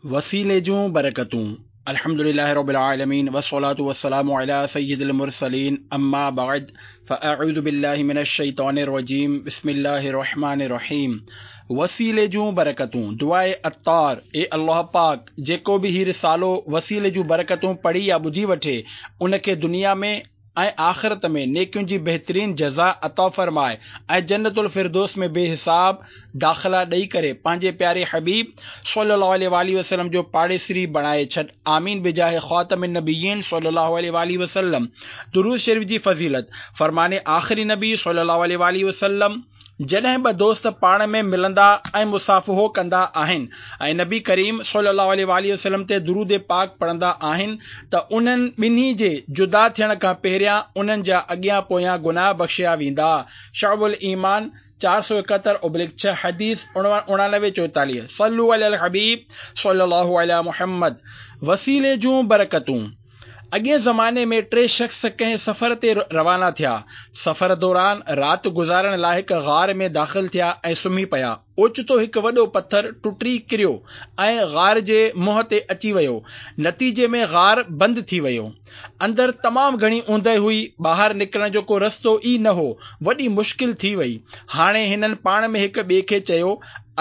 وسيلي جون برڪتون الحمد لله رب العالمين والصلاة والسلام على سيد المرسلين اما بعد فاعوذ بالله من الشيطان الرجيم بسم الله الرحمن الرحيم وسيلي جون برڪتون دعاء عطار اي الله پاڪ جيڪو به هي رسالو وسيلي جون برڪتون پڙهي يا ٻڌي وٺي ان کي دنيا ۾ ۽ آخرت ۾ نيڪين جي بهترين جزا عطا فرماء ۽ جنت الفردوس ۾ بي حساب داخلا ڏئي ڪري پنهنجي پياري حبيب صلي الله عليه واٰله وسلم جو پاڙيسري بڻائي ڇڏ آمين بجاه خاتم النبيين صلي الله عليه واٰله وسلم درود شريف جي فضيلت فرمان آخري نبي صلي الله عليه واٰله وسلم جڏهن ٻه دوست پاڻ ۾ ملندا ۽ مصافحو ڪندا آهن ۽ نبي ڪريم صلي الله عليه واٰله وسلم تي درود پاڪ پڙهندا آهن ته انهن ٻنهي جي جدا ٿيڻ کان پهريان انهن جا اڳيان پويان گناهه بخشيا ويندا شعب الايمان 471/6 حديث 89 44 صلو علي الحبيب صلي الله علي محمد وسيلي جون برڪتون اڳئين زماني ۾ ٽي شخص ڪنهن سفر تي روانا ٿيا. سفر دوران رات گذارڻ لاء هڪ غار ۾ داخل ٿيا ۽ سمهي پيا. اوچتو هڪ وڏو پٿر ٽٽي ڪريو ۽ غار جي منهن تي اچي ويو. نتيجي ۾ غار بند ٿي ويو. اندر تمام گهڻي اوندهه هئي. ٻاهر نڪرڻ جو ڪو رستو ئي نه هو. وڏي مشڪل ٿي وئي. هاڻي هنن پاڻ ۾ هڪ ٻئي کي چيو،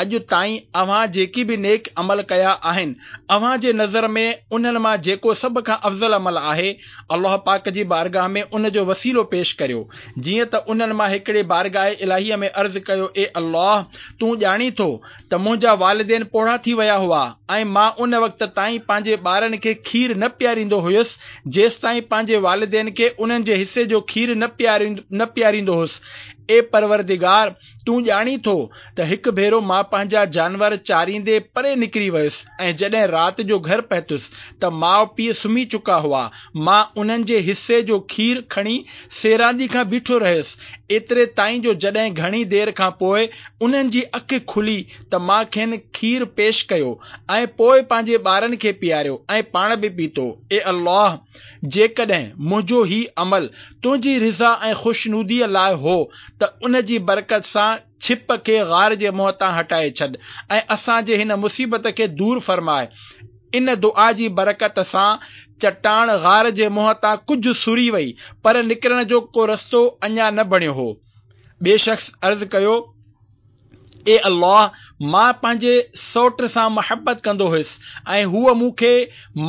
اڄ تائين اوهان جيڪي به نيڪ عمل ڪيا آهن، اوهان جي نظر ۾ انهن مان جيڪو سڀ کان افضل عمل آهي، الله پاڪ جي بارگاهه ۾ ان جو وسيلو پيش ڪريو. جيئن ته انهن مان هڪڙي بارگاهه الاهيء ۾ عرض ڪيو، اي الله! تون ڄاڻين ٿو ته منهنجا والدين پوڙها ٿي ويا هئا ۽ مان ان وقت تائين پنهنجي ٻارن کي کير نه پياريندو هيس، جيستائين پنهنجي والدين کي انهن جي حصي جو کير نه پياريندو هيس. اي پروردگار! تون ڄاڻين ٿو ته هڪ ڀيرو مان پنهنجا جانور چاريندي پري نڪري ويس ۽ جڏهن رات جو گهر پهتس ته ماء پيء سمهي چڪا هئا. مان انهن جي حصي جو کير کڻي سيراندي کان بيٺو رهيس، ايتري تائين جو جڏهن گهڻي دير کان پوء انهن جي اک کلي ته مان کين کير پيش ڪيو ۽ پوء پنهنجي ٻارن کي پياريو ۽ پاڻ به پيتو. اي الله! جيڪڏهن منهنجو هي عمل تنهنجي رضا ۽ خوشنوديء لاء هو ته ان جي برڪت سان ڇپ کي غار جي منهن تان هٽائي ڇڏ ۽ اسان جي هن مصيبت کي دور فرماء. ان دعا جي برڪت سان چٽاڻ غار جي منهن تان ڪجهه سري وئي پر نڪرڻ جو ڪو رستو اڃا نه بڻيو هو. ٻئي شخص عرض ڪيو. اي الله! مان پنهنجي سئوٽ سان محبت ڪندو هيس ۽ هوء مون کي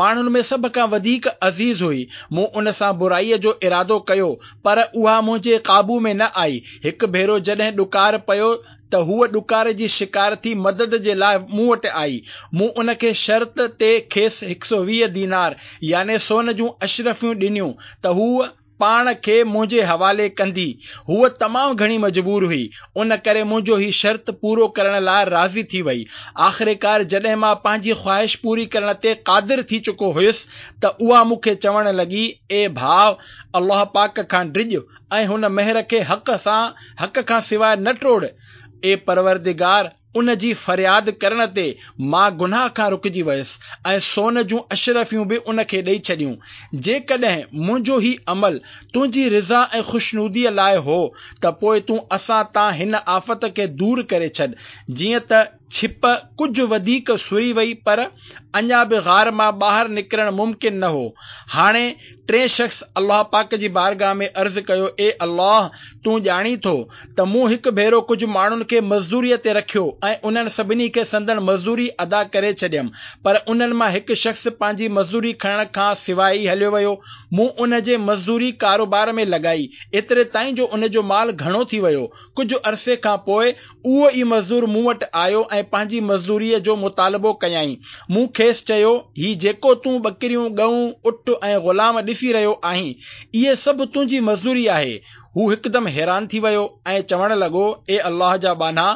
ماڻهن ۾ سڀ کان وڌيڪ عزيز هئي. مون ان سان برائيء جو ارادو ڪيو، پر اها منهنجي قابو ۾ نه آئي. هڪ ڀيرو جڏهن ڏڪار پيو ته هوء ڏڪار جي شڪار ٿي مدد جي لاء مون وٽ آئي. مون ان کي شرط تي کيس هڪ سو 20 دينار يعني سون جون اشرفيون ڏنيون ته هوء پاڻ کي منهنجي حوالي ڪندي. هوء تمام گهڻي مجبور هئي، ان ڪري منهنجو هي شرط پورو ڪرڻ لاء راضي ٿي وئي. آخرڪار جڏهن مان پنهنجي خواهش پوري ڪرڻ تي قادر ٿي چڪو هيس ته اها مون کي چوڻ لڳي، اي ڀاء! الله پاڪ کان ڊڄ ۽ هن مهر کي حق سان حق کان سواء نه ٽوڙ. اي پروردگار! ان جي فرياد ڪرڻ تي مان گناهه کان رڪجي ويس ۽ سون جون اشرفيون به ان کي ڏئي ڇڏيون. جيڪڏهن منهنجو هي عمل تنهنجي رضا ۽ خوشنوديء لاء هو ته پوء تون اسان تان هن آفت کي دور ڪري ڇڏ. جيئن ته ڇپ ڪجهه وڌيڪ سري وئي پر اڃا به غار مان ٻاهر نڪرڻ ممڪن نه هو. هاڻي ٽئين شخص الله پاڪ جي بارگاهه ۾ عرض ڪيو، اي الله! تون ڄاڻين ٿو ته مون هڪ ڀيرو ڪجهه ماڻهن کي مزدوريء تي رکيو ۽ انهن سڀني کي سندن مزدوري ادا ڪري ڇڏيم، پر انهن مان هڪ شخص پنهنجي مزدوري کڻڻ کان سواء ئي هليو ويو. مون ان جي مزدوري ڪاروبار ۾ لڳائي، ايتري تائين جو ان جو مال گهڻو ٿي ويو. ڪجهه عرصي کان پوء اهو ئي مزدور مون وٽ آيو ۽ پنهنجي مزدوريء جو مطالبو ڪيائين. مون کيس چيو، هي جيڪو تون ٻڪريون، ڳئون، اٺ ۽ غلام ڏسي رهيو آهين، اهي سڀ تنهنجي مزدوري آهي. هو هڪدم حيران ٿي ويو ۽ چوڻ لڳو، اي الله جا ٻانها!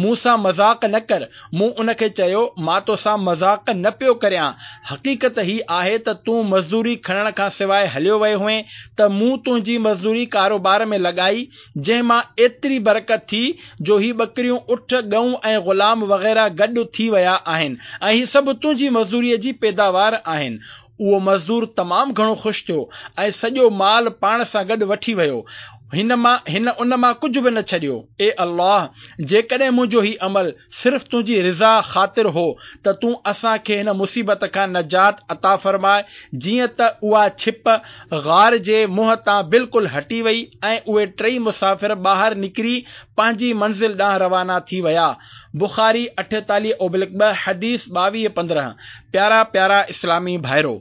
مون سان مذاق نه ڪر. مون ان کي چيو، مان توسان مذاق نه پيو ڪريان. حقيقت هي آهي ته تون مزدوري کڻڻ کان سواء هليو ويو هئين ته مون تنهنجي مزدوري ڪاروبار ۾ لڳائي، جنهن مان ايتري برڪت ٿي جو هي ٻڪريون، اٺ، ڳئون ۽ غلام وغيره گڏ ٿي ويا آهن ۽ هي سڀ تنهنجي مزدوريء جي پيداوار آهن. اهو مزدور تمام گهڻو خوش ٿيو ۽ سڄو مال پاڻ سان گڏ وٺي ويو. هن مان هن ان مان ڪجهه به نه ڇڏيو. اي الله! جيڪڏهن منهنجو هي عمل صرف تنهنجي رضا خاطر هو ته تون اسان کي هن مصيبت کان نجات عطا فرماء جيئن ته اها ڇپ غار جي منهن تان بلڪل هٽي وئي ۽ اهي ٽئي مسافر ٻاهر نڪري پنهنجي منزل ڏانهن روانا ٿي ويا. بخاري 48 اوبلڪ 2 حديث 22 15 پيارا پيارا اسلامي ڀائرو!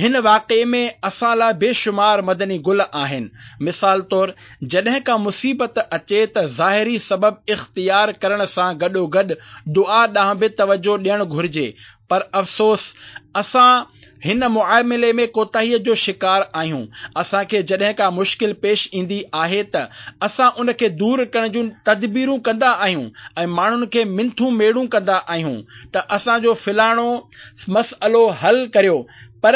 هن واقعي ۾ اسان لاء بيشمار مدني گل آهن. مثال طور، جڏهن ڪا مصيبت اچي ته ظاهري سبب اختيار ڪرڻ سان گڏوگڏ دعا ڏانهن به توجهه ڏيڻ گهرجي پر افسوس اسان هن معاملي ۾ ڪوتاهيء جو شڪار آهيون. اسان کي جڏهن ڪا مشڪل پيش ايندي آهي ته اسان ان کي دور ڪرڻ جون تدبيرون ڪندا آهيون ۽ ماڻهن کي منٿون ميڙون ڪندا آهيون ته اسان جو فلاڻو مسئلو حل ڪريو پر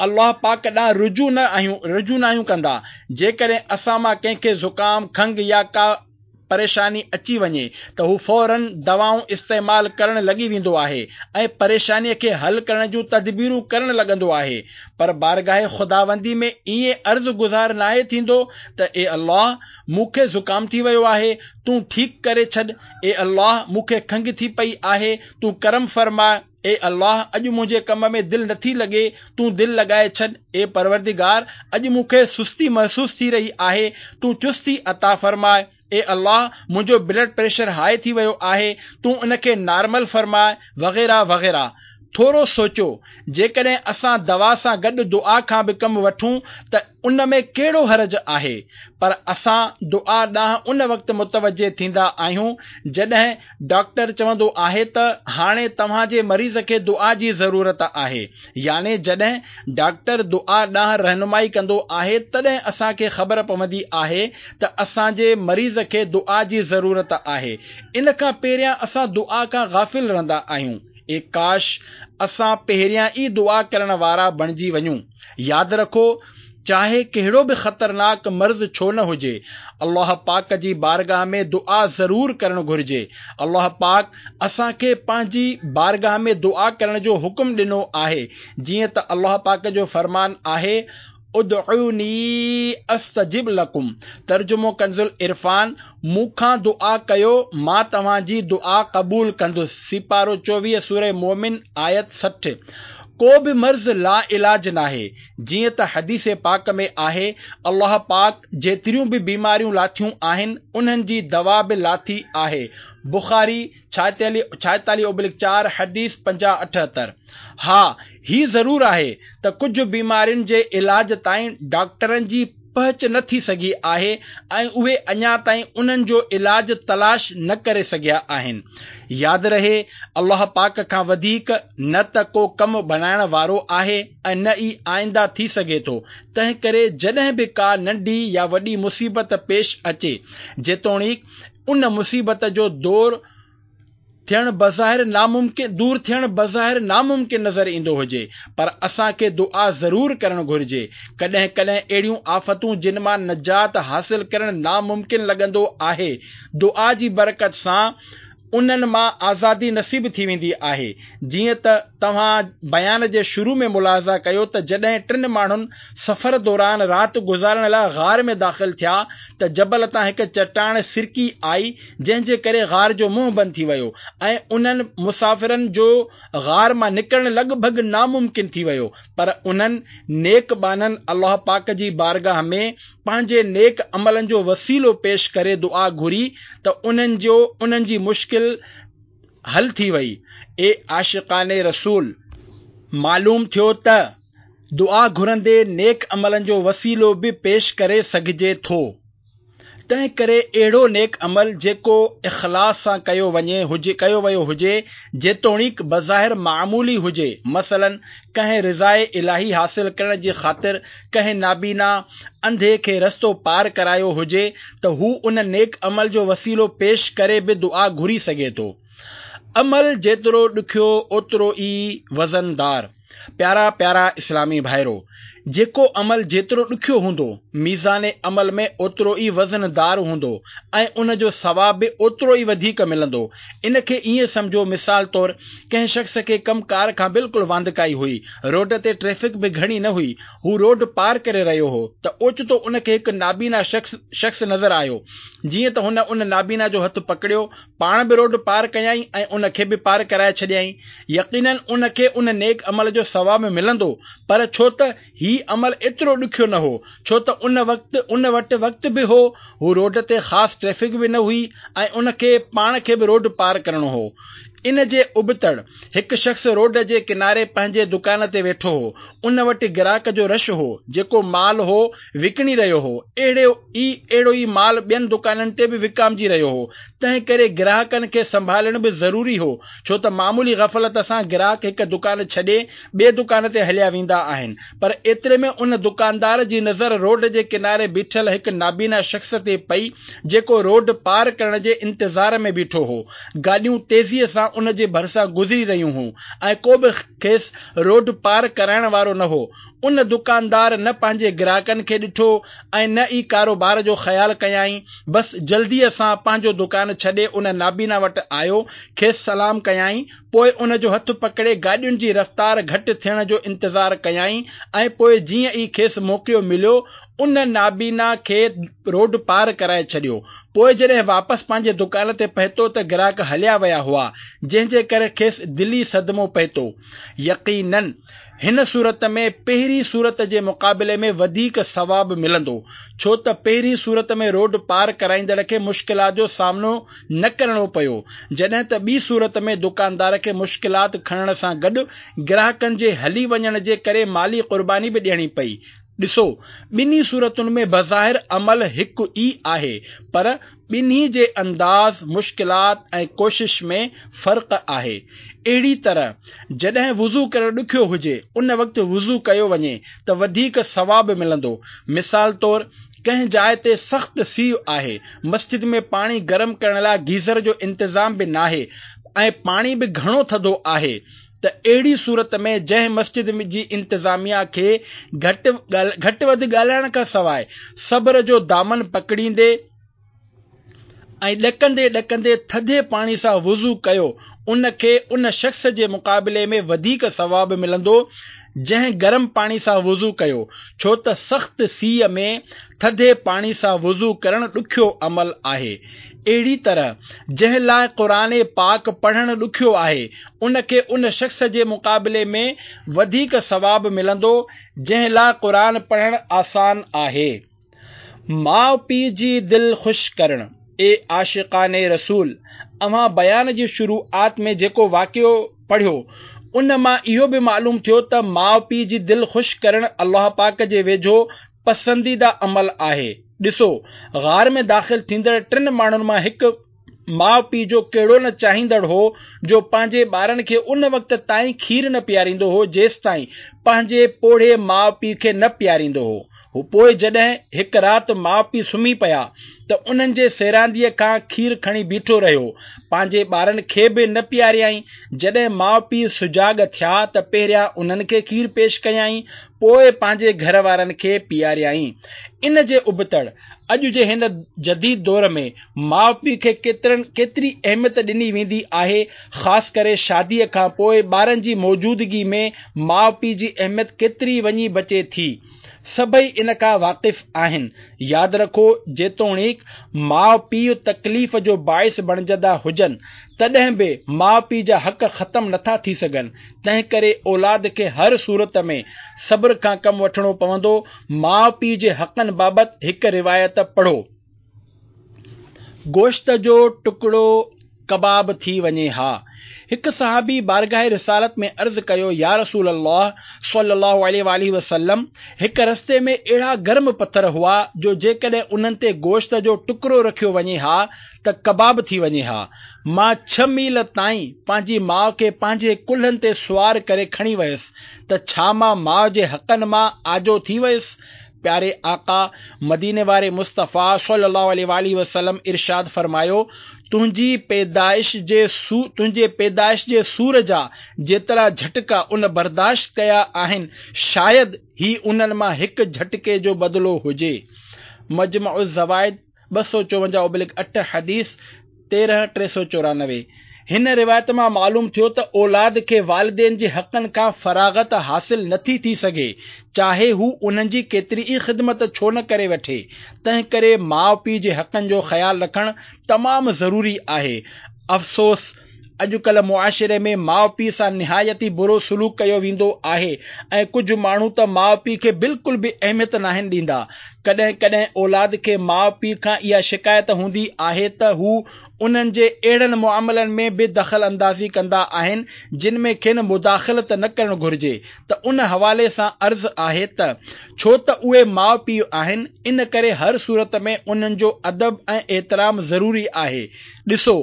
الله پاڪ ڏانهن رجوع نه آهيون رجوع ناهيون ڪندا جيڪڏهن اسان مان ڪنهن کي زڪام کنگهه يا ڪا پريشاني اچي وڃي ته هو فورن دوائون استعمال ڪرڻ لڳي ويندو آهي ۽ پريشاني کي حل ڪرڻ جون تدبيرون ڪرڻ لڳندو آهي پر بارگاهه خداوندي ۾ ائين عرض گذار ناهي ٿيندو ته اي الله مون کي زڪام ٿي ويو آهي تون ٺيڪ ڪري ڇڏ اي الله! مون کي کنگهه ٿي پئي آهي، تون ڪرم فرماء، اي الله! اڄ منهنجي ڪم ۾ دل نٿي لڳي، تون دل لڳائي ڇڏ، اي پروردگار! اڄ مون کي سستي محسوس ٿي رهي آهي، تون چستي عطا فرماء، اي الله! منهنجو بلڊ پريشر هاء ٿي ويو آهي، تون ان کي نارمل فرماء، وغيره وغيره. ٿورو سوچو، جيڪڏهن اسان دوا سان گڏ دعا کان به ڪم وٺون ته ان ۾ ڪهڙو حرج آهي؟ پر اسان دعا ڏانهن ان وقت متوجه ٿيندا آهيون جڏهن ڊاڪٽر چوندو آهي ته هاڻي توهان جي مريض کي دعا جي ضرورت آهي يعني جڏهن ڊاڪٽر دعا ڏانهن رهنمائي ڪندو آهي تڏهن اسان کي خبر پوندي آهي ته اسان جي مريض کي دعا جي ضرورت آهي ان کان پهريان اسان دعا کان غافل رهندا آهيون. اي ڪاش اسان پهريان ئي دعا ڪرڻ وارا بڻجي وڃون. ياد رکو چاهي ڪهڙو به خطرناڪ مرض ڇو نه هجي الله پاڪ جي بارگاھ ۾ دعا ضرور ڪرڻ گهرجي. الله پاڪ اسان کي پنهنجي بارگاھ ۾ دعا ڪرڻ جو حڪم ڏنو آهي جيئن ته الله پاڪ جو فرمان آهي، ادعوني استجب لڪم ترجمو ڪنزالعرفان، مون کان دعا ڪيو مان توهان جي دعا قبول ڪندس سيپارو 24 سوره مومن آيت 60 ڪو به مرض لاعلاج ناهي جيئن ته حديث پاڪ ۾ آهي الله پاڪ جيتريون به بيماريون لاٿيون آهن انهن جي دوا به لاٿي آهي بخاري 46 اوبلڪ 4 حديث 50 78 ها هي ضرور آهي ته ڪجهه بيمارين جي علاج تائين ڊاڪٽرن جي پهچ نه ٿي سگهي آهي ۽ اهي اڃا تائين انهن جو علاج تلاش نه ڪري سگهيا آهن. ياد رهي الله پاڪ کان وڌيڪ نه ته ڪو ڪم بڻائڻ وارو آهي ۽ نه ئي آئنده ٿي سگهي ٿو تنهنڪري جڏهن به ڪا ننڍي يا وڏي مصيبت پيش اچي جيتوڻيڪ ان مصيبت جو دور ٿيڻ بظاهر ناممڪن دور ٿيڻ بظاهر ناممڪن نظر ايندو هجي پر اسان کي دعا ضرور ڪرڻ گهرجي. ڪڏهن ڪڏهن اهڙيون آفتون جن مان نجات حاصل ڪرڻ ناممڪن لڳندو آهي دعا جي برڪت سان انهن مان آزادي نصيب ٿي ويندي آهي. جيئن ته توهان بيان جي شروع ۾ ملاحظه ڪيو ته جڏهن ٽن ماڻهن سفر دوران رات گذارڻ لاء غار ۾ داخل ٿيا ته جبل تان هڪ چٽاڻ سرڪي آئي جنهن جي ڪري غار جو منهن بند ٿي ويو ۽ انهن مسافرن جو غار مان نڪرڻ لڳ ڀڳ ناممڪن ٿي ويو پر انهن نيڪ ٻانهن الله پاڪ جي بارگاهه ۾ پنهنجي نيڪ عملن جو وسيلو پيش ڪري دعا گهري ته انهن جو انهن جي مشڪل حل ٿي وئي. اي عاشقان رسول! معلوم ٿيو ته دعا گهرندي نيڪ عملن جو وسيلو به پيش ڪري سگهجي ٿو. تنهن ڪري اهڙو نيڪ عمل جيڪو اخلاص سان ڪيو وڃي هجي ڪيو ويو هجي جيتوڻيڪ بظاهر معمولي هجي مثلاً ڪنهن رضاء الاهي حاصل ڪرڻ جي خاطر ڪنهن نابينا انڌي کي رستو پار ڪرايو هجي ته هو ان نيڪ عمل جو وسيلو پيش ڪري به دعا گهري سگهي ٿو. عمل جيترو ڏکيو اوترو ئي وزندار. پيارا پيارا اسلامي ڀائرو! جيڪو عمل جيترو ڏکيو هوندو، ميزان عمل ۾ اوترو ئي وزن دار هوندو ۽ ان جو ثواب به اوترو ئي وڌيڪ ملندو. ان کي ائين سمجهو مثال طور ڪنهن شخص کي ڪم ڪار کان بلڪل واندڪائي هئي، روڊ تي ٽريفڪ به گهڻي نه هئي، هو روڊ پار ڪري رهيو هو ته اوچتو ان کي هڪ نابينا شخص نظر آيو، جيئن ته هن ان نابينا جو هٿ پڪڙيو، پاڻ به روڊ پار ڪيائين ۽ ان کي به پار ڪرائي ڇڏيائين. يقيناً ان کي ان نيڪ عمل جو ثواب ملندو، پر ڇو ته هي عمل ايترو ڏکيو نه هو، ڇو ته ان وقت ان وٽ وقت به هو، هو روڊ تي خاص ٽريفڪ به نه هئي ۽ ان کي پاڻ کي به روڊ پار ڪرڻو هو. ان جي ابتڙ هڪ شخص روڊ جي ڪناري پنهنجي دڪان تي ويٺو هو. ان وٽ گراهڪ جو رش هو، جيڪو مال هو وڪڻي رهيو هو، اهڙو ئي اهڙو ئي مال ٻين دڪانن تي به وڪامجي رهيو هو، تنهن ڪري گراهڪن کي سنڀالڻ به ضروري هو، ڇو ته معمولي غفلت سان گراهڪ هڪ دڪان ڇڏي ٻئي دڪان تي هليا ويندا آهن، پر ايتري ۾ ان دڪاندار جي نظر روڊ جي ڪناري بيٺل هڪ نابينا شخص تي پئي، جيڪو روڊ پار ڪرڻ جي انتظار ۾ بيٺو هو. گاڏيون تيزيء سان ان جي ڀرسان گذري رهيون هيون ۽ ڪو به کيس روڊ پار ڪرائڻ وارو نه هو. ان دڪاندار نه پنهنجي گراهڪن کي ڏٺو ۽ نه ئي ڪاروبار جو خيال ڪيائين، بس جلديء سان پنهنجو دڪان ڇڏي ان نابينا وٽ آيو، کيس سلام ڪيائين، پوء ان جو هٿ پڪڙي گاڏين جي رفتار گهٽ ٿيڻ جو انتظار ڪيائين ۽ پوء جيئن ئي کيس موقعو مليو، ان نابينا کي روڊ پار ڪرائي ڇڏيو. پوء جڏهن واپس پنهنجي دڪان تي پهتو ته گراهڪ هليا ويا هئا، جنهن جي ڪري کيس دلي صدمو پهتو. يقيناً هن صورت ۾ پهرين صورت جي مقابلي ۾ وڌيڪ ثواب ملندو، ڇو ته پهرين صورت ۾ روڊ پار ڪرائيندڙ کي مشڪلات جو سامنو نه ڪرڻو پيو، جڏهن ته ٻي صورت ۾ دڪاندار کي مشڪلات کڻڻ سان گڏ گراهڪن جي هلي وڃڻ جي ڪري مالي قرباني به ڏيڻي پئي. ڏسو، ٻنهي صورتن ۾ بظاهر عمل هڪ ئي آهي، پر ٻنهي جي انداز، مشڪلات ۽ ڪوشش ۾ فرق آهي. اهڙي طرح جڏهن وضو ڪرڻ ڏکيو هجي، ان وقت وضو ڪيو وڃي ته وڌيڪ ثواب ملندو. مثال طور ڪنهن جاء تي سخت سيء آهي، مسجد ۾ پاڻي گرم ڪرڻ لاء گيزر جو انتظام به ناهي ۽ پاڻي به گهڻو ٿڌو آهي ته اهڙي صورت ۾ جنهن مسجد جي انتظاميا کي گهٽ وڌ ڳالهائڻ کان سواء صبر جو دامن پڪڙيندي ۽ ڏڪندي ڏڪندي ٿڌي پاڻي سان وضو ڪيو ان کي ان شخص جي مقابلي ۾ وڌيڪ ثواب ملندو جنهن گرم پاڻي سان وضو ڪيو ڇو ته سخت سيء ۾ ٿڌي پاڻي سان وضو ڪرڻ ڏکيو عمل آهي. اهڙي طرح جنهن لاء قرآن پاڪ پڙهڻ ڏکيو آهي ان کي ان شخص جي مقابلي ۾ وڌيڪ ثواب ملندو جنهن لاء قرآن پڙهڻ آسان آهي. ماء پيء جي دل خوش ڪرڻ، اي عاشقان رسول! اوهان بيان جي شروعات ۾ جيڪو واقعو پڙهيو ان مان اهو به معلوم ٿيو ته ماء پيء جي دل خوش ڪرڻ الله پاڪ جي ويجهو پسنديده عمل آهي. ڏسو، غار ۾ داخل ٿيندڙ ٽن ماڻهن مان هڪ ماء پيء جو ڪهڙو نه چاهيندڙ هو جو پنهنجي ٻارن کي ان وقت تائين کير نه پياريندو هو جيستائين پنهنجي پوڙهي ماء پيء کي نه پياريندو هو. پوء جڏهن هڪ رات ماء پيء سمهي پيا ته انهن جي سيرانديء کان کير کڻي بيٺو رهيو. پنهنجي ٻارن کي به نه پياريائين. جڏهن ماء پيء سجاڳ ٿيا ته پهريان انهن کي کير پيش ڪيائين پوء پنهنجي گهر وارن کي پياريائين. ان جي ابتڙ اڄ جي هن جديد دور ۾ ماء پيء کي ڪيتري اهميت ڏني ويندي آهي، خاص ڪري شاديء کان پوء ٻارن جي موجودگي ۾ ماء پيء جي اهميت ڪيتري وڃي بچي ٿي. سڀئي ان کان واقف آهن. ياد رکو جيتوڻيڪ ماء پيء تڪليف جو باعث بڻجندا هجن تڏهن به ماء پيء جا حق ختم نٿا ٿي سگهن تنهنڪري اولاد کي هر صورت ۾ صبر کان ڪم وٺڻو پوندو. ماء پيء جي حقن بابت هڪ روايت پڙهو. گوشت جو ٽڪڙو ڪباب ٿي وڃي ها. هڪ صحابي بارگاهه رسالت ۾ عرض ڪيو، يا رسول الله صلي الله عليه واٰله وسلم! هڪ رستي ۾ اهڙا گرم پٿر هئا جو جيڪڏهن انهن تي گوشت جو ٽڪرو رکيو وڃي ها ته ڪباب ٿي وڃي ها. مان ڇهه ميل تائين پنهنجي ماء کي پنهنجي ڪلهن تي سوار ڪري کڻي ويس ته ڇا مان ماء جي حقن مان آجو ٿي ويس؟ پياري آقا، مديني واري مصطفيٰ صلّي اللّٰه عليه واٰله وسلّم ارشاد فرمايو، تنهنجي پيدائش جي تنهنجي پيدائش جي سور جا جيترا جهٽڪا ان برداشت ڪيا آهن، شايد هي انهن مان هڪ جهٽڪي جو بدلو هجي. مجمع الزوائد 254/8 حديث 13 394 هن روايت مان معلوم ٿيو ته اولاد کي والدين جي حقن کان فراغت حاصل نٿي ٿي سگهي، چاهي هو انهن جي ڪيتري ئي خدمت ڇو نه ڪري وٺي. تنهن ڪري ماء پيء جي حقن جو خيال رکڻ تمام ضروري آهي. افسوس! اڄڪلهه معاشري ۾ ماء پيء سان نهايت ئي برو سلوڪ ڪيو ويندو آهي ۽ ڪجهه ماڻهو ته ماء پيء کي بلڪل به اهميت ناهن ڏيندا. ڪڏهن ڪڏهن اولاد کي ماء پيء کان اها شڪايت هوندي آهي ته هو انهن جي اهڙن معاملن ۾ به دخل اندازي ڪندا آهن جن ۾ کين مداخلت نه ڪرڻ گهرجي ته ان حوالي سان عرض آهي ته ڇو ته اهي ماء پيء آهن ان ڪري هر صورت ۾ انهن جو ادب ۽ احترام ضروري آهي. ڏسو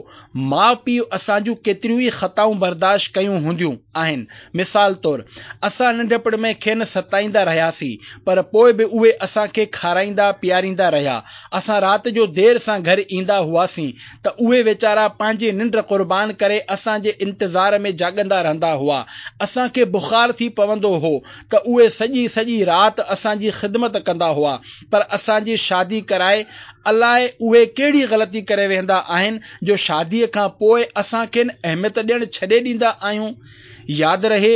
ماء پيء اسان جون ڪيتريون ئي خطائون برداشت ڪيون هونديون آهن. مثال طور، اسان ننڍپڻ ۾ کين ستائيندا رهياسين، پر پوء به اهي اسان کي کارائيندا پياريندا رهيا. اسان رات جو دير سان گهر ايندا هئاسين ته اهي ويچارا پنهنجي ننڊ قربان ڪري اسان جي انتظار ۾ جاڳندا رهندا هئا. اسان کي بخار ٿي پوندو هو ته اهي سڄي سڄي رات اسان جي خدمت ڪندا هئا. پر اسان جي شادي ڪرائي الاء اهي ڪهڙي غلطي ڪري ويهندا آهن جو شاديء کان پوء اسان کين اهميت ڏيڻ ڇڏي ڏيندا آهيون. ياد رهي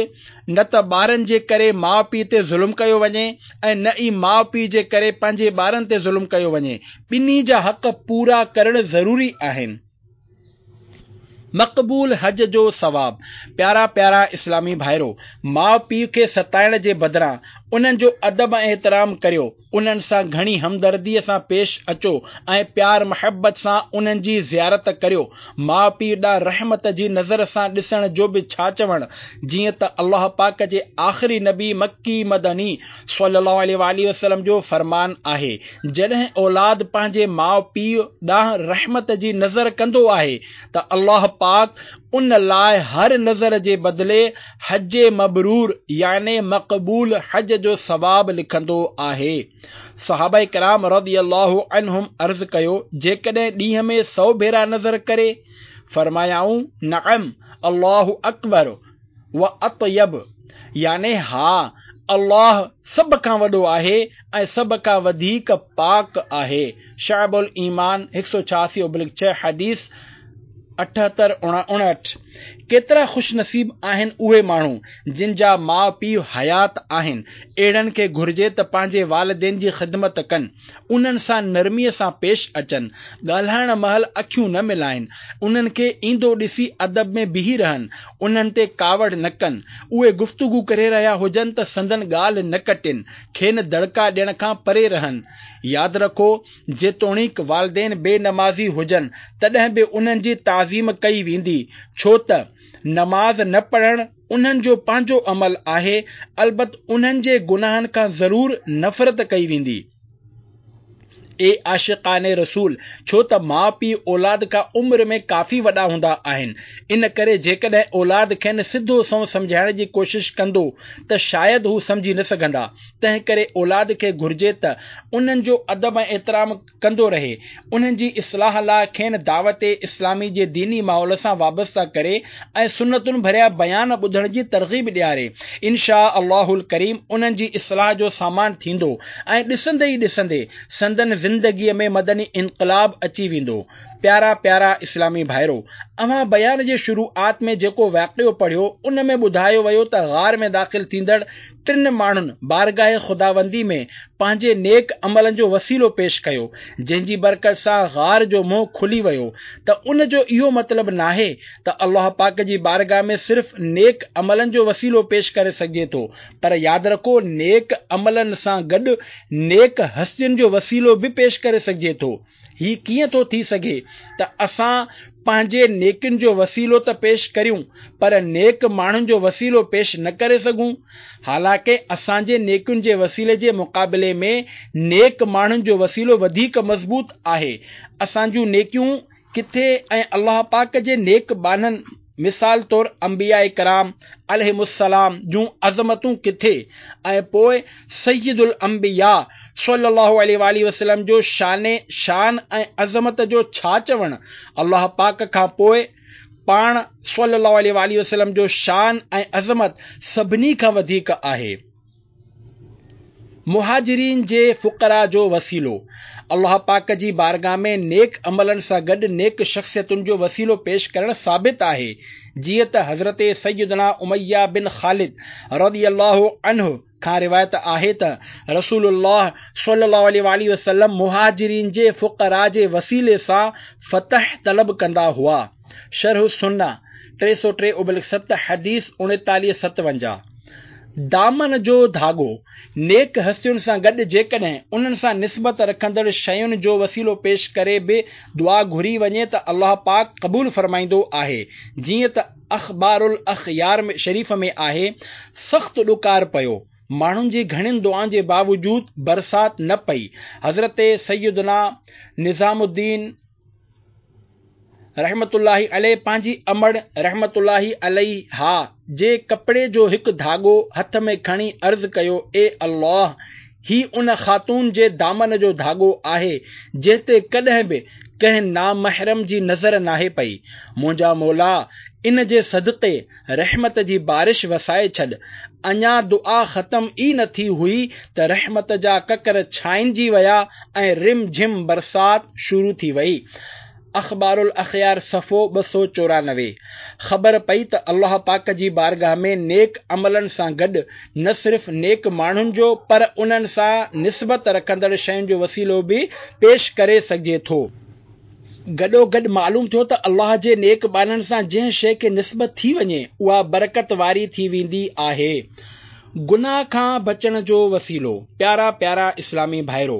نه ته ٻارن جي ڪري ماء پيء تي ظلم ڪيو وڃي ۽ نه ئي ماء پيء جي ڪري پنهنجي ٻارن تي ظلم ڪيو وڃي. ٻنهي جا حق پورا ڪرڻ ضروري آهن. مقبول حج جو ثواب. پيارا پيارا اسلامي ڀائرو! ماء پيء کي ستائڻ جي بدران انهن جو ادب ۽ احترام ڪريو، انهن سان گهڻي همدرديء سان پيش اچو ۽ پيار محبت سان انهن جي زيارت ڪريو. ماء پيء ڏانهن رحمت جي نظر سان ڏسڻ جو به ڇا چوڻ، جيئن ته الله پاڪ جي آخري نبي مڪي مدني صلّي الله عليه واٰله وسلّم جو فرمان آهي، جڏهن اولاد پنهنجي ماء پيء ڏانهن رحمت جي نظر ڪندو آهي ته الله پاڪ ان لاء هر نظر جي بدلي حج مبرور يعني مقبول حج جو ثواب لکندو آهي. صحابه ڪرام رضي الله عنهم عرض ڪيو، جيڪڏهن ڏينهن ۾ سو ڀيرا نظر ڪري؟ فرمايائون، نعم، الله اڪبر و اطيب يعني ها، الله سڀ کان وڏو آهي ۽ سڀ کان وڌيڪ پاڪ آهي. شعب الايمان 186/6 حديث 78 59 ڪيترا خوش نصيب آهن اهي ماڻهو جن جا ماء پيء حيات آهن. اهڙن کي گهرجي ته پنهنجي والدين جي خدمت ڪن. انهن سان نرميء سان پيش اچن، ڳالهائڻ مهل اکيون نه ملائين، انهن کي ايندو ڏسي ادب ۾ بيهي رهن، انهن تي ڪاوڙ نه ڪن، اهي گفتگو ڪري رهيا هجن ته سندن ڳالهه نه ڪٽين، کين دڙڪا ڏيڻ کان پري رهن. ياد رکو، جيتوڻيڪ والدين بي نمازي هجن، تڏهن به انهن جي تعظيم ڪئي ويندي، ڇو ته نماز نه پڙهڻ انهن جو پنهنجو عمل آهي، البت انهن جي گناهن کان ضرور نفرت ڪئي ويندي. اي عاشقان رسول! ڇو ته ماء پيء اولاد کان عمر ۾ ڪافي وڏا هوندا آهن، ان ڪري جيڪڏهن اولاد کين سڌو سنئون سمجهائڻ جي ڪوشش ڪندو ته شايد هو سمجهي نه سگهندا، تنهن ڪري اولاد کي گهرجي ته انهن جو ادب ۽ احترام ڪندو رهي، انهن جي اصلاح لاء کين دعوت اسلامي جي ديني ماحول سان وابسته ڪري ۽ سنتن ڀريا بيان ٻڌڻ جي ترغيب ڏياري. ان شاء الله الڪريم انهن جي اصلاح جو سامان ٿيندو ۽ ڏسندي ئي ڏسندي سندن زندگي ۾ مدني انقلاب اچي ويندو. پيارا پيارا اسلامي ڀائرو! اوهان بيان جي شروعات ۾ جيڪو واقعو پڙهيو ان ۾ ٻڌايو ويو ته غار ۾ داخل ٿيندڙ ٽن ماڻهن بارگاهه خداوندي ۾ پنهنجي نيڪ عملن جو وسيلو پيش ڪيو، جنهن جي برڪت سان غار جو منهن کلي ويو ته ان جو اهو مطلب ناهي ته الله پاڪ جي بارگاهه ۾ صرف نيڪ عملن جو وسيلو پيش ڪري سگهجي ٿو پر ياد رکو نيڪ عملن سان گڏ نيڪ هستين جو وسيلو به پيش ڪري سگهجي ٿو. هي ڪيئن ٿو ٿي سگهي ته اسان پنهنجي نيڪين جو وسيلو ته پيش ڪريون پر نيڪ ماڻهن جو وسيلو پيش نه ڪري سگهون؟ حالانڪه اسان جي نيڪين جي وسيلي جي مقابلي ۾ نيڪ ماڻهن جو وسيلو وڌيڪ مضبوط آهي. اسان جون نيڪيون ڪٿي ۽ الله پاڪ جي نيڪ ٻانهن. مثال طور انبياء ڪرام عليهم السلام جون عظمتون ڪٿي ۽ پوء سيد الانبياء صلّي الله عليه واٰله وسلّم جو شان شان ۽ عظمت جو ڇا چوڻ، الله پاڪ کان پوء پاڻ صلّي الله عليه واٰله وسلّم جو شان ۽ عظمت سڀني کان وڌيڪ آهي. مهاجرين جي فقراء جو وسيلو، الله پاڪ جي بارگاهه ۾ نيڪ عملن سان گڏ نيڪ شخصيتن جو وسيلو پيش ڪرڻ ثابت آهي، جيئن ته حضرت سيدنا اميه بن خالد رضي الله عنه کان روايت آهي ته رسول الله صلي الله عليه واٰله وسلم مهاجرين جي فقراء جي وسيلي سان فتح طلب ڪندا هئا. شرح السنة، 303/7 حديث 39 57. دامن جو ڌاڳو، نيڪ هستين سان گڏ جيڪڏهن انهن سان نسبت رکندڙ شين جو وسيلو پيش ڪري به دعا گهري وڃي ته الله پاڪ قبول فرمائيندو آهي، جيئن ته اخبار الاخيار شريف ۾ آهي، سخت ڏڪار پيو، ماڻهن جي گهڻين دعائن جي باوجود برسات نه پئي، حضرت سيدنا نظام الدين رحمة الله عليه پنهنجي امڙ رحمة الله عليها جي ڪپڙي جو هڪ ڌاڳو هٿ ۾ کڻي عرض ڪيو، اي الله! هي ان خاتون جي دامن جو ڌاڳو آهي، جنهن تي ڪڏهن به ڪنهن نامحرم جي نظر ناهي پئي. منهنجا مولا! ان جي صدقي رحمت جي بارش وسائي ڇڏ. اڃا دعا ختم ئي نه ٿي هئي ته رحمت جا ڪڪر ڇائنجي ويا ۽ رم جھم برسات شروع ٿي وئي. اخبار الاخيار صفحو 294. خبر پئي ته الله پاڪ جي بارگاهه ۾ نيڪ عملن سان گڏ نه صرف نيڪ ماڻهن جو پر انهن سان نسبت رکندڙ شين جو وسيلو به پيش ڪري سگهجي ٿو. گڏوگڏ معلوم ٿيو ته الله جي نيڪ ٻانهن سان جنهن شيء کي نسبت ٿي وڃي اها برڪت واري ٿي ويندي آهي. گناهه کان بچڻ جو وسيلو، پيارا پيارا اسلامي ڀائرو!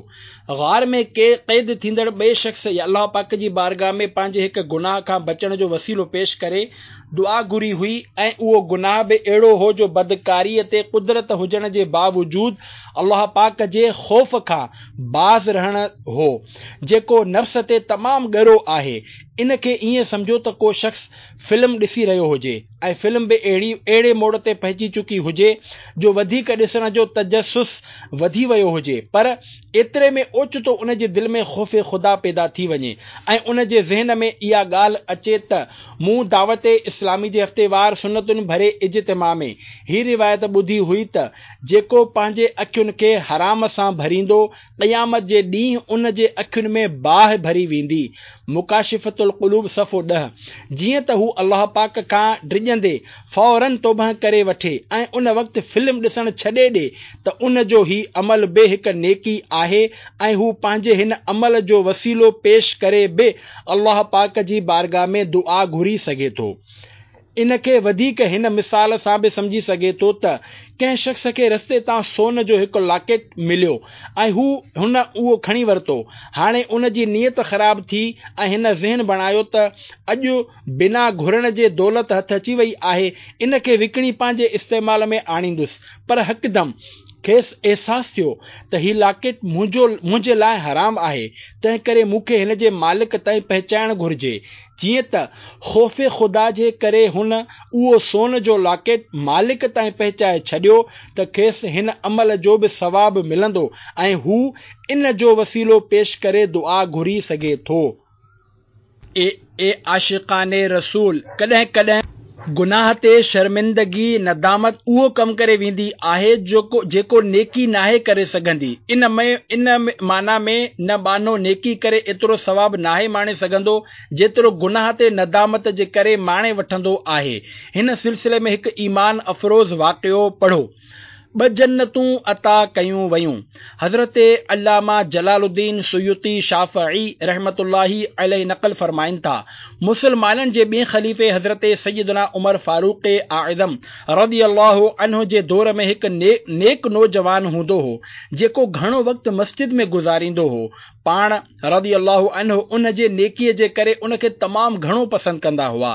غار ۾ قيد ٿيندڙ ٻئي شخص الله پاڪ جي بارگاهه ۾ پنهنجي هڪ گناهه کان بچڻ جو وسيلو پيش ڪري دعا گهري هئي ۽ اهو گناهه به اهڙو هو جو بدڪاريء تي قدرت هجڻ جي باوجود الله پاڪ جي خوف کان باز رهڻ هو. جيڪو نفس تي تمام ڳرو آهي، ان کي ائين سمجهو ته ڪو شخص فلم ڏسي رهيو هجي ۽ فلم به اهڙي اهڙي موڙ تي پهچي چڪي هجي جو وڌيڪ ڏسڻ جو تجسس وڌي ويو هجي پر ايتري ۾ اوچتو ان جي دل ۾ خوف خدا پيدا ٿي وڃي ۽ ان جي ذهن ۾ اها ڳالهه اچي ته مون دعوت اسلامي جي هفتيوار سنتن ڀري اجتماع ۾ هي روايت ٻڌي هئي ته جيڪو پنهنجي اکين کي حرام سان ڀريندو قيامت جي ڏينهن ان جي اکين ۾ باهه ڀري ويندي، مڪاشفة القلوب صفحو 10، جيئن ته هو الله پاڪ کان ڊڄندي فوراً توبهه ڪري وٺي ۽ ان وقت فلم ڏسڻ ڇڏي ڏي ته ان جو هي عمل به هڪ نيڪي آهي ۽ هو پنهنجي هن عمل جو وسيلو پيش ڪري به الله پاڪ جي بارگاهه ۾ دعا گهري سگهي ٿو. ان کي وڌيڪ هن مثال سان به سمجهي سگهي ٿو ته ڪنهن شخص کي رستي تان سون جو هڪ لاڪيٽ مليو ۽ هو هن اهو کڻي ورتو. هاڻي ان جي نيت خراب ٿي ۽ هن ذهن بڻايو ته اڄ بنا گهرڻ جي دولت هٿ اچي وئي آهي ان کي وڪڻي پنهنجي استعمال ۾ آڻيندس پر هڪدم کيس احساس ٿيو ته هي لاڪيٽ منهنجو منهنجي لاء حرام آهي تنهنڪري مون کي هن جي مالڪ تائين پهچائڻ گهرجي. جيئن ته خوف خدا جي ڪري هن اهو سون جو لاڪيٽ مالڪ تائين پهچائي ڇڏيو ته کيس هن عمل جو به ثواب ملندو ۽ هو ان جو وسيلو پيش ڪري دعا گهري سگهي ٿو. اي عاشقان رسول! ڪڏهن ڪڏهن گناهه تي شرمندگي، ندامت، اهو ڪم ڪري ويندي آهي جيڪو نيڪي ناهي ڪري سگهندي. ان معنيٰ ۾ نه ٻانهو نيڪي ڪري ايترو ثواب ناهي ماڻي سگهندو جيترو گناهه تي ندامت جي ڪري ماڻي وٺندو آهي. هن سلسلي ۾ هڪ ايمان افروز واقعو پڙهو. ٻه جنتون عطا ڪيون ويون. حضرت علامه جلال الدين سيوطي شافعي رحمة الله عليه نقل فرمائن ٿا، مسلمانن جي ٻئين خليفي حضرت سيدنا عمر فاروق اعظم رضي الله عنه جي دور ۾ هڪ نيڪ نوجوان هوندو هو، جيڪو گهڻو وقت مسجد ۾ گذاريندو هو. پاڻ رضي الله عنه ان جي نيڪي جي ڪري ان کي تمام گهڻو پسند ڪندا هئا.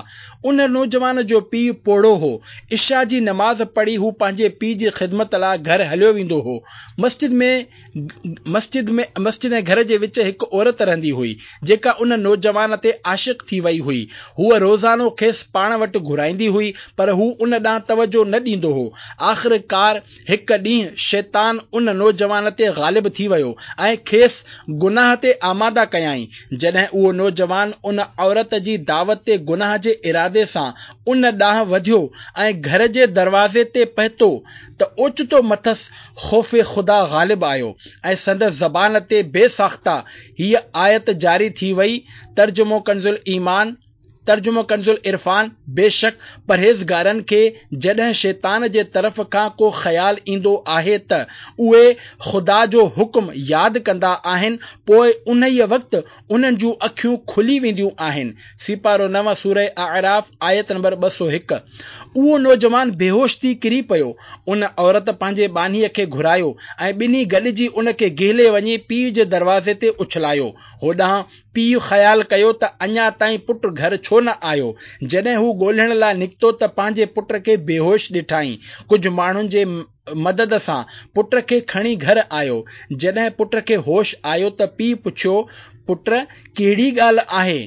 ان نوجوان جو پيء پوڙهو هو. عشاء جي نماز پڙهي هو پنهنجي پيء جي خدمت لاء گهر هليو ويندو هو. مسجد ۾ مسجد ۾ مسجد ۽ گهر جي وچ هڪ عورت رهندي هئي، جيڪا ان نوجوان تي عاشق ٿي وئي هئي. هوء روزانو کيس پاڻ وٽ گهرائيندي هئي، پر هو ان ڏانهن توجهه نه ڏيندو هو. آخرڪار هڪ ڏينهن شيطان ان نوجوان تي غالب ٿي ويو ۽ کيس گناهه تي آماده ڪيائين. جڏهن اهو نوجوان ان عورت جي دعوت تي گناهه جي ارادي سان ان ڏانهن وڌيو ۽ گهر جي دروازي تي پهتو ته اوچتو مٿس خوف خدا غالب آيو ۽ سندس زبان تي بي ساخته هيء آيت جاري ٿي وئي ترجمو ڪنزالايمان، ترجمو ڪنزالعرفان، بيشڪ پرهيزگارن کي جڏهن شيطان جي طرف کان ڪو خيال ايندو آهي ته اهي خدا جو حڪم ياد ڪندا آهن پوء انهيء وقت انهن جون اکيون کلي وينديون آهن، سيپارو 9 سوره اعراف آيت نمبر 201. اهو نوجوان بيهوش ٿي ڪري پيو. ان عورت پنهنجي ٻانهيء کي گهرايو ۽ ٻنهي گڏجي ان کي گهلي وڃي پيء جي دروازي تي اڇلايو. هوڏانهن پيء خيال ڪيو ته اڃا تائين پٽ گهر ڇو نه آيو. جڏهن هو ڳولڻ لاء نڪتو ته پنهنجي پٽ کي بيهوش ڏٺائين. ڪجهه ماڻهن جي مدد سان پٽ کي کڻي گهر آيو. جڏهن پٽ کي هوش آيو ته پيء پڇيو، پٽ ڪهڙي ڳالهه آهي؟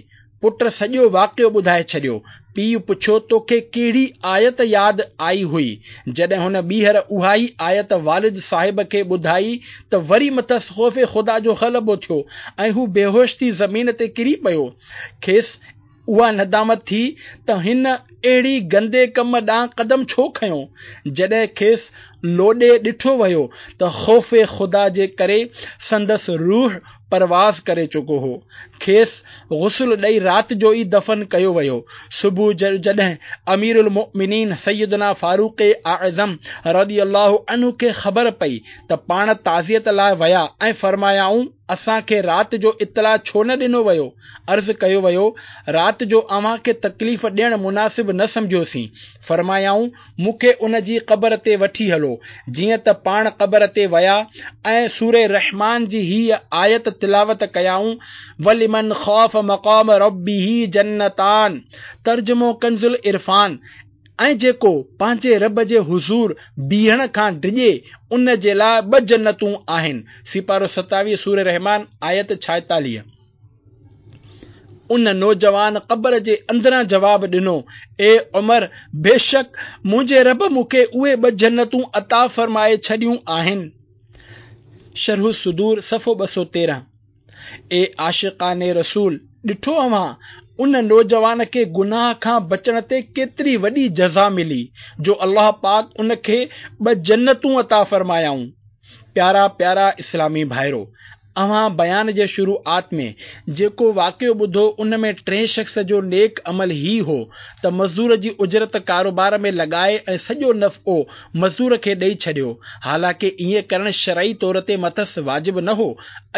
پٽ سڄو واقعو ٻڌائي ڇڏيو. پيء پڇيو، توکي ڪهڙي آيت ياد آئي هئي؟ جڏهن هن ٻيهر اها ئي آيت والد صاحب کي ٻڌائي ته وري مٿس خوف خدا جو غلبو ٿيو ۽ هو بيهوش ٿي زمين تي ڪري پيو. کيس اها ندامت ٿي ته هن اهڙي گندي ڪم ڏانهن قدم ڇو کنيو؟ جڏهن کيس لوڏي ڏٺو ويو ته خوف خدا جي ڪري سندس روح پرواز ڪري چڪو هو. کيس غسل ڏئي رات جو ئي دفن ڪيو ويو. صبح جو جڏهن امير المؤمنين سيدنا فاروق اعظم رضي الله عنه کي خبر پئي ته پاڻ تعزيت لاء ويا ۽ فرمايائون، اسان کي رات جو اطلاع ڇو نه ڏنو ويو؟ عرض ڪيو ويو، رات جو اوهان کي تڪليف ڏيڻ مناسب نه سمجهيوسين. فرمايائون، مون کي ان جي قبر تي وٺي هلو. جيئن ته پاڻ قبر تي ويا ۽ سوره رحمان جي هيء آيت تلاوت ڪيائون، ولمن خاف مقام ربه جنتان ترجمو ڪنزالعرفان، ۽ جيڪو پنهنجي رب جي حضور بيهڻ کان ڊڄي ان جي لاء ٻه جنتون آهن. سيپارو 27 سوره رحمان آيت 46. ان نوجوان قبر جي اندران جواب ڏنو، اي عمر! بيشڪ منهنجي رب مون کي اهي ٻه جنتون عطا فرمائي ڇڏيون آهن. شرح الصدور صفحو 213. اي عاشقان رسول! ڏٺو اوهان ان نوجوان کي گناهه کان بچڻ تي ڪيتري وڏي جزا ملي جو الله پاڪ ان کي ٻه جنتون عطا فرمايائون. پيارا پيارا اسلامي ڀائرو! اوهان بيان جي شروعات ۾ جيڪو واقعو ٻڌو ان ۾ ٽئين شخص جو نيڪ عمل هي هو ته مزدور جي اجرت ڪاروبار ۾ لڳائي ۽ سڄو نفعو مزدور کي ڏئي ڇڏيو حالانڪه ائين ڪرڻ شرعي طور تي مٿس واجب نه هو.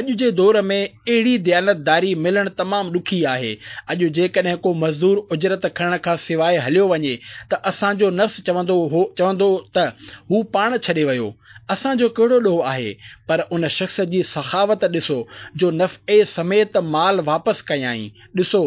اڄ جي دور ۾ اهڙي ديانتداري ملڻ تمام ڏکي آهي. اڄ جيڪڏهن ڪو مزدور اجرت کڻڻ کان سواء هليو وڃي ته اسان جو نفس چوندو چوندو ته هو پاڻ ڇڏي ويو. اسان جو ڪهڙو ڏوهه آهي؟ پر ان شخص جي سخاوت ڏسو جو نفعي سميت مال واپس ڪيائين. ڏسو،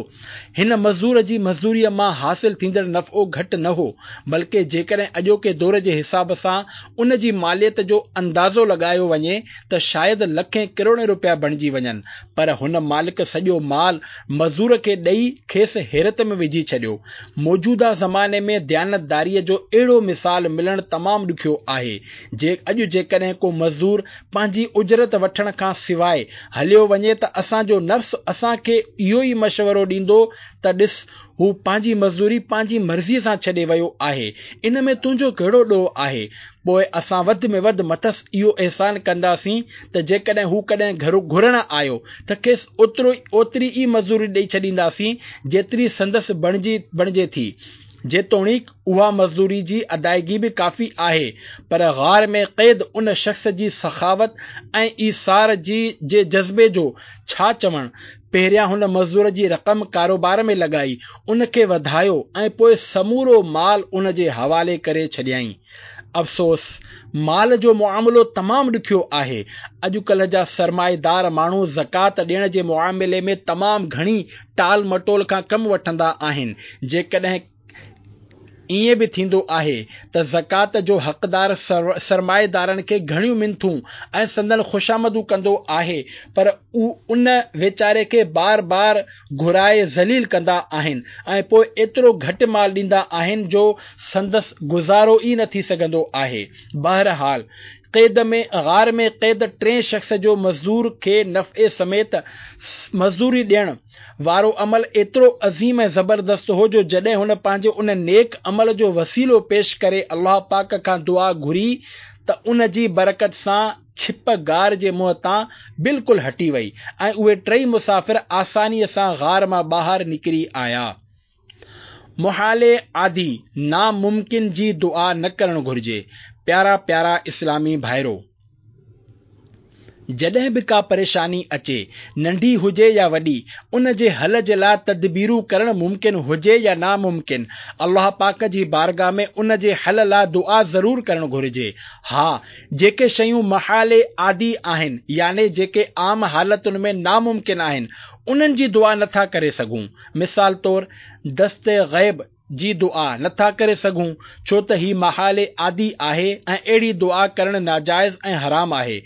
هن مزدور جي مزدوريء مان حاصل ٿيندڙ نفعو گهٽ نه هو، بلڪه جيڪڏهن اڄوڪي دور جي حساب سان ان جي ماليت جو اندازو لڳايو وڃي ته شايد لکين ڪروڙين روپيا بڻجي وڃن، پر هن مالڪ سڄو مال مزدور کي ڏئي کيس حيرت ۾ وجهي ڇڏيو. موجوده زماني ۾ ديانتداريء جو اهڙو مثال ملڻ تمام ڏکيو آهي. جي اڄ جيڪڏهن ڪو مزدور پنهنجي اجرت وٺڻ کان سواء هليو وڃي ته اسان جو نفس اسان کي اهو ئي مشورو ڏيندو ته ڏس هو پنهنجي مزدوري پنهنجي مرضيء سان ڇڏي ويو آهي، ان ۾ تنهنجو ڪهڙو ڏوهه آهي؟ پوء اسان وڌ ۾ وڌ مٿس اهو احسان ڪنداسين ته جيڪڏهن هو ڪڏهن گهر گهرڻ آيو ته کيس اوترو اوتري ئي مزدوري ڏئي ڇڏينداسين جيتري سندس بڻجي بڻجي ٿي. جيتوڻيڪ اها مزدوري جي ادائگي به ڪافي آهي پر غار ۾ قيد ان شخص جي سخاوت ۽ ايثار جي جي جذبي جو ڇا چوڻ؟ پهريان هن مزدور جي رقم ڪاروبار ۾ لڳائي، ان کي وڌايو ۽ پوء سمورو مال ان جي حوالي ڪري ڇڏيائين. افسوس! مال جو معاملو تمام ڏکيو آهي. اڄڪلهه جا سرمائيدار ماڻهو زڪوات ڏيڻ جي معاملي ۾ تمام گهڻي ٽال مٽول کان ڪم وٺندا آهن. جيڪڏهن. ائين به ٿيندو آهي ته زڪوات جو حقدار سرمائيدارن کي گهڻيون منٿون ۽ سندن خوشامدون ڪندو آهي پر ان ويچاري کي بار بار گهرائي ذليل ڪندا آهن ۽ پوء ايترو گهٽ مال ڏيندا آهن جو سندس گذارو ئي نه ٿي سگهندو آهي. بهرحال قيد ۾ غار ۾ قيد ٽئين شخص جو مزدور کي نفعي سميت مزدوري ڏيڻ وارو عمل ايترو عظيم ۽ زبردست هو جو جڏهن هن پنهنجي ان نيڪ عمل جو وسيلو پيش ڪري الله پاڪ کان دعا گهري ته ان جي برڪت سان ڇپ غار جي منهن تان بلڪل هٽي وئي ۽ اهي ٽئي مسافر آسانيء سان غار مان ٻاهر نڪري آيا. محال عادي، ناممڪن جي دعا نه ڪرڻ گهرجي. پيارا پيارا اسلامي ڀائرو! جڏهن به ڪا پريشاني اچي، ننڍي هجي يا وڏي، ان جي حل جي لاء تدبيرون ڪرڻ ممڪن هجي يا ناممڪن، الله پاڪ جي بارگاھ ۾ ان جي حل لاء دعا ضرور ڪرڻ گهرجي. ها! جيڪي شيون محال عادي آهن، يعني جيڪي عام حالتن ۾ ناممڪن آهن، انهن جي دعا نٿا ڪري سگهون. مثال طور دست غيب جي دعا نٿا ڪري سگهون ڇو ته هي محال عادي آهي ۽ اهڙي دعا ڪرڻ ناجائز ۽ حرام آهي.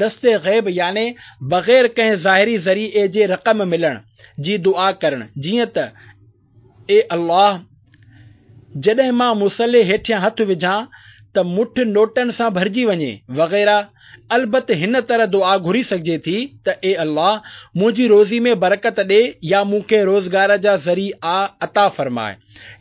دست غيب يعني بغير ڪنهن ظاهري ذريعي جي رقم ملڻ جي دعا ڪرڻ جيئن ته اي الله! جڏهن مان مصلي هيٺيان هٿ وجهان ته مٺ نوٽن سان ڀرجي وڃي وغيره. البت هن طرح دعا گهري سگهجي ٿي ته اي الله! منهنجي روزي ۾ برڪت ڏي يا مون کي روزگار جا ذريعا عطا فرماء.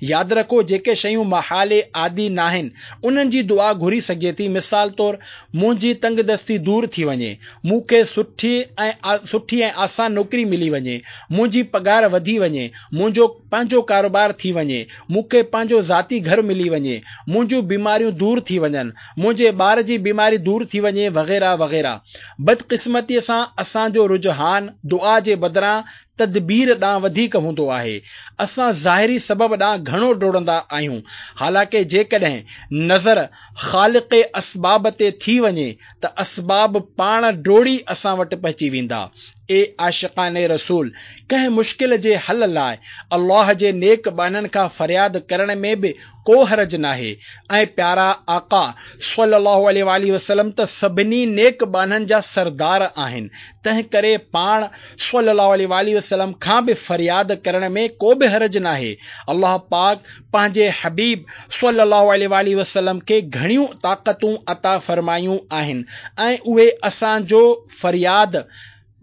ياد رکو جيڪي شيون محال عادي ناهن انهن جي دعا گهري سگهجي ٿي مثال طور منهنجي تنگدستي دور ٿي وڃي، مون کي سٺي ۽ آسان نوڪري ملي وڃي، منهنجي پگهار وڌي وڃي، منهنجو پنهنجو ڪاروبار ٿي وڃي، مون کي پنهنجو ذاتي گهر ملي وڃي، منهنجون بيماريون دور ٿي وڃن، منهنجي ٻار جي بيماري دور ٿي وڃي وغيره وغيره. بدقسمتيء سان اسان جو رجحان دعا جي بدران تدبير ڏانهن وڌيڪ هوندو آهي. اسان ظاهري سبب ڏانهن گهڻو ڊوڙندا آهيون. حالانڪه جيڪڏهن نظر خالق اسباب تي ٿي وڃي ته اسباب پاڻ ڊوڙي اسان وٽ پهچي ويندا. اي عاشقان رسول! ڪنهن مشڪل جي حل لاء الله جي نيڪ ٻانهن کان فرياد ڪرڻ ۾ به ڪو حرج ناهي ۽ پيارا آقا صلّي اللّٰه عليه واٰله وسلّم ته سڀني نيڪ ٻانهن جا سردار آهن، تنهن ڪري پاڻ صلّي اللّٰه عليه واٰله وسلّم کان به فرياد ڪرڻ ۾ ڪو به حرج ناهي. الله پاڪ پنهنجي حبيب صلّي اللّٰه عليه واٰله وسلّم کي گهڻيون طاقتون عطا فرمايون آهن ۽ اهي اسان جو فرياد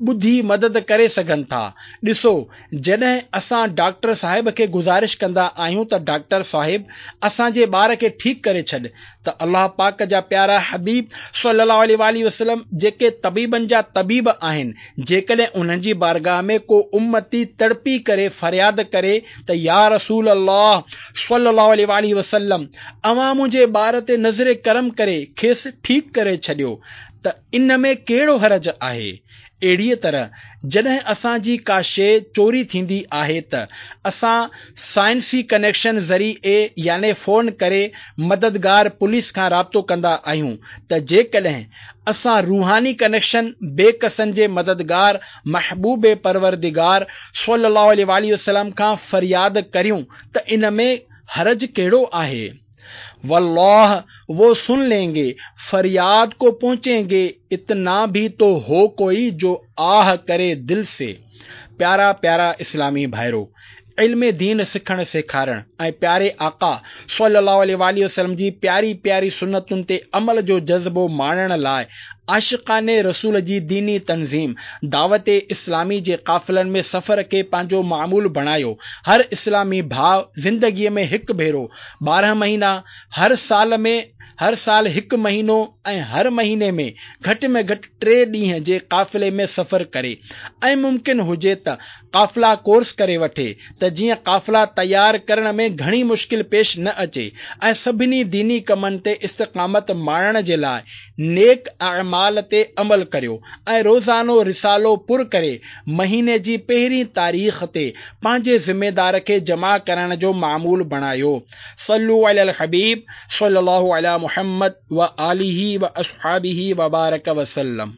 ٻڌي مدد ڪري سگهن ٿا. ڏسو جڏهن اسان ڊاڪٽر صاحب کي گذارش ڪندا آهيون ته ڊاڪٽر صاحب اسان جي ٻار کي ٺيڪ ڪري ڇڏ ته الله پاڪ جا پيارا حبيب صلي الله عليه واٰله وسلم جيڪي طبيبن جا طبيب آهن جيڪڏهن انهن جي بارگاهه ۾ ڪو امتي تڙپي ڪري فرياد ڪري ته يا رسول الله صلي الله عليه واٰله وسلم اوهان منهنجي ٻار تي نظر ڪرم ڪري کيس ٺيڪ ڪري ڇڏيو ته ان ۾ ڪهڙو حرج آهي؟ اهڙيء طرح جڏهن اسان جي ڪا شيء چوري ٿيندي آهي ته اسان سائنسي ڪنيڪشن ذريعي يعني فون ڪري مددگار پوليس کان رابطو ڪندا آهيون ته جيڪڏهن اسان روحاني ڪنيڪشن بي ڪسن جي مددگار محبوب پروردگار صلي الله عليه واٰله وسلم کان فرياد ڪريون ته ان ۾ حرج ڪهڙو آهي؟ والله وہ سن لين گي فرياد کو پهچين گي اتنا ڀي تو هو ڪوئي جو آه ڪري دل سي پيارا پيارا اسلامي ڀائرو علم دين سکڻ سيکارڻ ۽ پياري آقا صلي الله عليه واٰله وسلم جي پياري پياري سنتن تي عمل جو جذبو ماڻڻ لاء عاشقان رسول جي ديني تنظيم دعوت اسلامي جي قافلن ۾ سفر کي پنهنجو معمول بڻايو. هر اسلامي ڀاء زندگي ۾ هڪ ڀيرو، 12 مهينا، هر سال ۾ هر سال هڪ مهينو ۽ هر مهيني ۾ گهٽ ۾ گهٽ ٽي ڏينهن جي قافلي ۾ سفر ڪري ۽ ممڪن هجي ته قافلا ڪورس ڪري وٺي ته جيئن قافلا تيار ڪرڻ ۾ گهڻي مشڪل پيش نه اچي ۽ سڀني ديني ڪمن تي استقامت ماڻڻ جي لاء نيڪ اعمال تي عمل ڪريو ۽ روزانو رسالو پر ڪري مهيني جي پهرين تاريخ تي پنهنجي ذميدار کي جمع ڪرائڻ جو معمول بڻايو. صلو علی الحبيب صلي الله علي محمد وآله واصحابه وبارڪ وسلم.